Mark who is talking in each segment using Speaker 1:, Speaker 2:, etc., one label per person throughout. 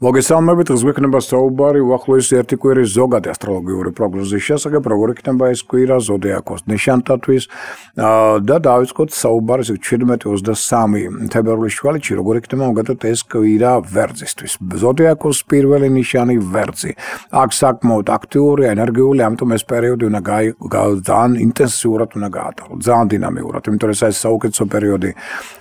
Speaker 1: მოგესალმებით, დღეს გვექნება საუბარი უახლოესი ერთი კვირის ზოგადი ასტროლოგიური პროგნოზის შესახებ, როგორ იქნება ეს კვირა ზოდიაქოს ნიშანთათვის და დავიწყოთ საუბარს 17-23 თებერვლის შუალედში, როგორ იქნება მოგეთოთ ეს კვირა ვერძისთვის. ზოდიაქოს პირველი ნიშანი ვერძი. აქ საკმაოდ აქტიური, ენერგიული, ამიტომ ეს პერიოდი უნდა ძალიან ინტენსიურად უნდა გაატაროთ, ძალიან დინამიურად, იმიტომ რომ ეს საუკეთესო პერიოდი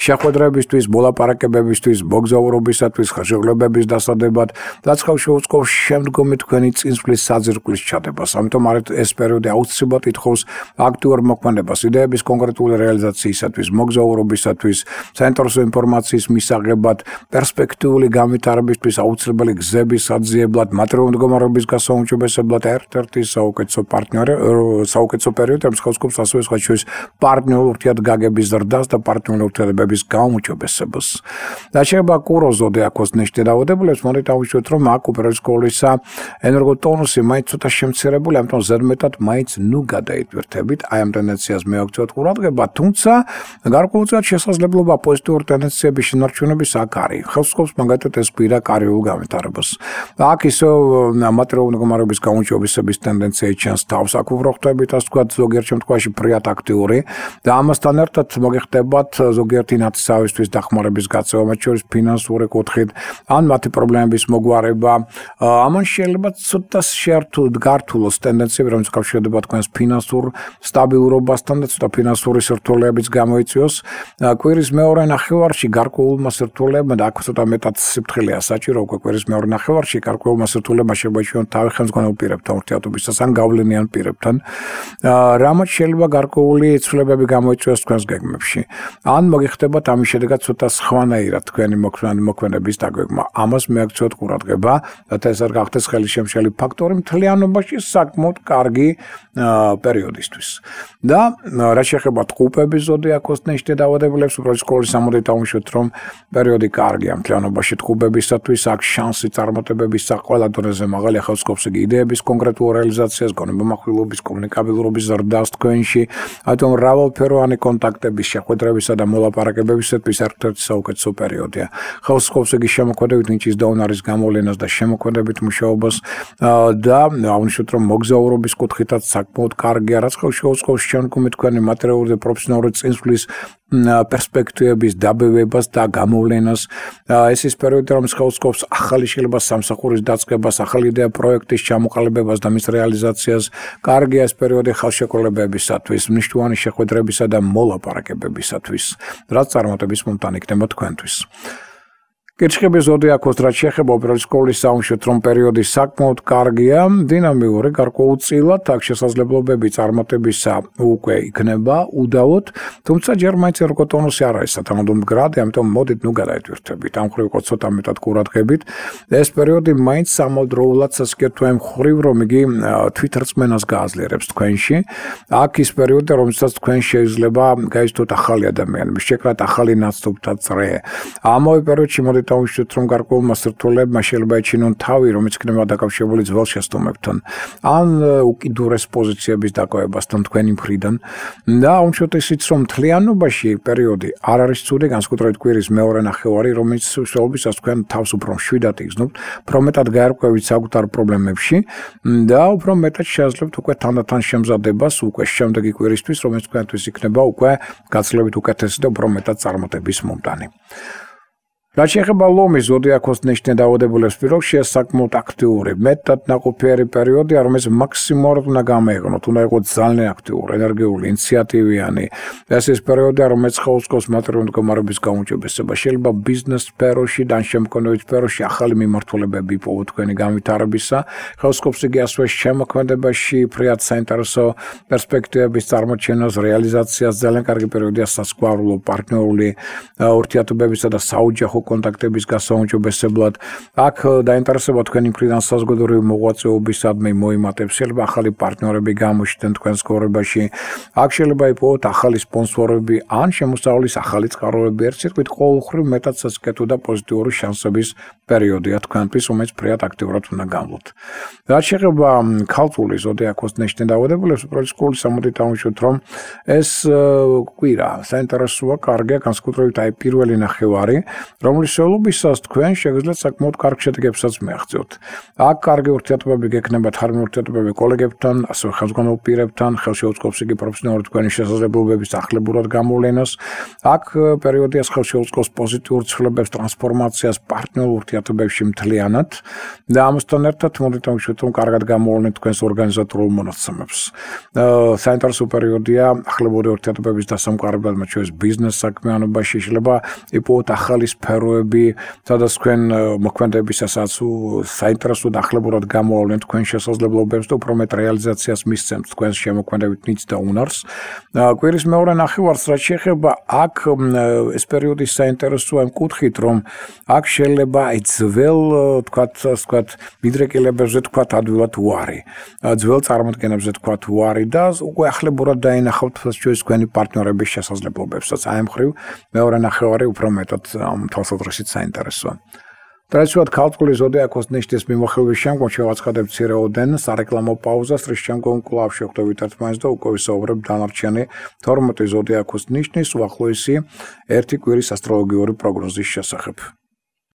Speaker 1: შეხვედრებისთვის, მოლაპარაკებებისთვის, მოგზაურობისათვის, ხელშეკრულებების დასადებად რაც ხავშეუწყობს შემდგომი თქვენი წინსვლის საძირკვლის ჩადებას. ამიტომ ეს პერიოდი აუცილებლად ითხოვს აქტიურ მოქმედებას იდეების კონკრეტული რეალიზაციისათვის, მოგზაურობისათვის, საინტერესო ინფორმაციის მისაღებად, პერსპექტიული განვითარებისთვის აუცილებელი გზების საძიებლად, მატერიალური მდგომარეობის გასაუმჯობესებლად ერთ-ერთი საუკეთესო პარტნიორი, საუკეთესო პერიოდი, რომელიც ხავსკობს ასევე სხვა შორის პარტნიორული ურთიერთგაგების ზრდას და პარტნიორული ურთიერთობების გაუმჯობესებას. და შეიძლება კუროს ზოდიაქოს ნიშნით დაავადებულებს დავიშვათ, რომ აქ უპირველეს ყოვლისა ენერგოტონუსი მაინც ცოტა შემცირებული, ამიტომ ზედმეტად მაინც გადაიტვირთებით. აი ამ ტენდენციას მივაქცევთ ყურადღება, თუმცა გარკვეულწილად შესაძლებლობა პოზიტიური ტენდენციების შენარჩუნების აქ არის. ხელს უწყობს მაგალითად ეს კვირა კარიერულ განვითარებას. აქ ისევ მატერიალური მდგომარეობის გაუმჯობესების ტენდენცია ჩანს თავს, აქ უფრო ხვდებით, ასე ვთქვათ, ზოგიერთ შემთხვევაში ფრიად აქტიური და ამასთან ერთად მოგეხდებათ ზოგიერთი ნათესავისთვის დახმარების გაწევა, მათ შორის ფინანსური კუთხით, ან მათი პრობლემების მოგვარება. ამან შეიძლება ცოტა შეერთოთ გართულოს ტენდენციები, რომელიც კავშირდება თქვენს ფინანსურ სტაბილურობასთან და ცოტა ფინანსური სირთულეებიც გამოიწვიოს. კვირის მეორე ნახევარში გარკვეულმა სირთულეებმა და აქ ცოტა მეტად სიფრთხილეა საჭირო უკვე კვირის მეორე ნახევარში გარკვეულმა სირთულეებმა შეიძლება იჩვენოთ თავი ხელმძღვანელ პირებთან ურთიერთობისას ან გავლენიან პირებთან. რამაც შეიძლება გარკვეული ცვლილებები გამოიწვიოს თქვენს გეგმებში. ან მოგიხდებათ ამის შედეგად ცოტა სხვანაირად თქვენი მოქმედების დაგვეგმა. ამას მიაქცევთ ყურადღება, რათა ეს არ გახდეს ხელისშემშელი ფაქტორი მთლიანობაში საკმაოდ კარგი პერიოდისთვის. და რაც შეეხება ტყუპების ზოდიაქოს ნიშნით დაავადებულებს, უპირველეს ყოვლისა ამოდით დავუშვათ, რომ პერიოდი კარგია მთლიანობაში ტყუპებისათვის, აქ შანსი წარმატებების ყველა დონეზე მაღალი, ახალ სკოპს იგი იდეების კონკრეტულ რეალიზაციას, გონებამახვილობის, კომუნიკაბილურობის ზრდას თქვენში, ამიტომ მრავალფეროვანი კონტაქტების, შეხვედრებისა და მოლაპარაკებებისათვის ერთ-ერთი საუკეთესო პერიოდია. ხელს უწყობს იგი შემოქმედებით ნიჭის დონარის გამოვლენას და შემოქმედებით მუშაობას და აღნიშნოთ, რომ მოგზაურობის კუთხითაც საკმაოდ კარგია, რაც შეუწყობს შემდგომი თქვენი მატერიალური და პროფესიონალური წინსვლის პერსპექტივების დაბევებას და გამოვლენას. ეს ის პერიოდი, რომელიც შეუწყობს ახალი შეიძლება სამსახურის დაწყებას, ახალი იდეა პროექტის ჩამოყალიბებას და მის რეალიზაციას. კარგია ეს პერიოდი ხელშეკრულებებისათვის, მნიშვნელოვანი შეხვედრებისა და მოლაპარაკებებისათვის, რაც წარმატების მომტანი იქნება თქვენთვის. კირჩხების ზოდიაქოს რაც შეეხება უპირველეს ყოვლისა დავუშვათ, რომ პერიოდი საკმაოდ კარგია, დინამიური, გარკვეულწილად აქ შესაძლებლობები წარმატებისა უკვე იქნება უდავოდ, თუმცა ჯერ მაინც ენერგოტონუსი არ არის სათანადო მდგრადი, ამიტომ მოდით გადაიტვირთებით. ამ მხრივ იყო ცოტა მეტად ყურადღებით. ეს პერიოდი მაინც სამალდროულად სასკეთო იმ მხრივ, რომ იგი თვითრწმენას გააძლიერებს თქვენში. აქ ის პერიოდი, რომელსაც თქვენ შეიძლება გაიცნოთ ახალი ადამიანები, შეკრათ ახალი ნაცნობთა წრე. ამავე პერიოდში მოდით დავუშვათ, რომ გარკვეულმა სირთულეებმა შეიძლება ეჩინონ თავი, რომელიც იქნება დაკავშირებული ძველ შეცდომებთან, ან უკიდურეს პოზიციების დაკავებასთან თქვენი მხრიდან. და აუჩვენოთ ისიც, რომ მთლიანობაში პერიოდი არ არის ცუდი, განსაკუთრებით კვირის მეორე ნახევარი, რომელიც შესაძლოა თქვენ თავს უფრო მშვიდად იგრძნობთ, უფრო მეტად გაერკვევით საკუთარ პრობლემებში და უფრო მეტად შეაძლებთ უკვე თანდათან შემზადებას უკვე შემდეგი კვირისთვის, რომელიც თქვენთვის იქნება უკვე გაცილებით უკეთესი და უფრო მეტად წარმატების მომტანი. რაც შეეხება ლომის ზოდიაქოს ნიშნით დაავადებულებს პირობებში, ეს საკმაოდ აქტიური, მეტად ნაყოფიერი პერიოდია, რომელიც მაქსიმალურად უნდა გამოიყენოთ, უნდა იყოს ძალიან აქტიური, ენერგიული, ინიციატივიანი. ეს ის პერიოდია, რომელიც ხელს უწყობს მატერიალური მდგომარეობის გაუმჯობესებას. შეიძლება ბიზნეს სფეროში და შემოქმედებით სფეროში ახალი მიმართულებები იპოვოთ თქვენი განვითარებისა. ხელს უწყობს იგი ასევე შემოქმედებაში, ფრიად საინტერესო პერსპექტივების წარმოჩენას, რეალიზაციას. ძალიან კარგი პერიოდია სასკვარულო, პარტნიორული ურთიერთობებისა და საოჯახო კონტაქტების გასაუმჯობესებლად. აქ დაინტერესება თქვენი მხრიდან საზოგადოებრივი მოღვაწეობისადმი მოიმატებს, შეიძლება ახალი პარტნიორები გამოჩნდნენ თქვენს ცხოვრებაში. აქ შეიძლება იპოვოთ ახალი სპონსორები ან შემოსავლის ახალი წყაროები. ერთ სიტყვით, ყოველმხრივ მეტად სასკეთო და პოზიტიური შანსების პერიოდია თქვენთვის, რომელიც ფრიად აქტიურად უნდა გამლოთ. რაც შეეხება ქალწულის ზოდიაქოს ნიშნით დაავადებულებს, უპირველეს ყოვლისა მოდით დავუშვათ, რომ ეს კვირა საინტერესოა, კარგია, განსაკუთრებით აი პირველი ნახევარი, რომლის შეულობისას თქვენ შეგიძლიათ საკმაოდ კარგ შედეგებსაც მიაღწიოთ. აქ კარგი ურთიერთობები გექნებათ ჰარმონიული ურთიერთობები კოლეგებთან, ასევე ხელმძღვანელ პირებთან, ხელში უწყობს იგი პროფესიონალური თქვენი შესაძლებლობების ახლებურად გამოვლენას. აქ პერიოდია ხელში უწყობს პოზიტიურ ცვლილებებს, ტრანსფორმაციას პარტნიორულ ურთიერთობებში მთლიანად და ამასთან ერთად მოდით ამშვით რომ კარგად გამოვლენით თქვენს ორგანიზატორულ მონაცემებს. საინტერესო პერიოდია ახლებური ურთიერთობების დასამყარებლად, მათ შორის ბიზნეს საქმიანობაში შეიძლება იპოვოთ ახალი სფეროები, სადაც თქვენ მოქმედებისასაც საინტერესოდ ახლებურად გამოავლენთ თქვენ შესაძლებლობებს და უფრო მეტ რეალიზაციას მისცემთ თქვენს შემოქმედებით ნიჭს და უნარს. კვირის მეორე ნახევარს რაც შეეხება აქ ეს პერიოდი საინტერესოა იმ კუთხით, რომ აქ შეიძლება ძველ თქვათ მიდრეკილებებზე თქვათ ადვილად უარი. ძველ წარმოდგენებზე თქვათ უარი და უკვე ახლებურად დაინახავთ ჩვენს თქვენი პარტნიორების შესაძლებლობებსაც. აი ამ მხრივ მეორე ნახევარი უფრო მეტად თვალსაზრისით საინტერესოა. ტრადიციულად ქალწულის ზოდიაქოს ნიშნის მიმოხილვის შემდგომ შევაცხადებთ მცირეოდენ სარეკლამო პაუზას, რის შემდგომ კვლავ შევხვდებით ერთმანეთს და უკვე ვისაუბრებთ დანარჩენი 12 ზოდიაქოს ნიშნის უახლოესი ერთი კვირის ასტროლოგიური პროგნოზის შესახებ.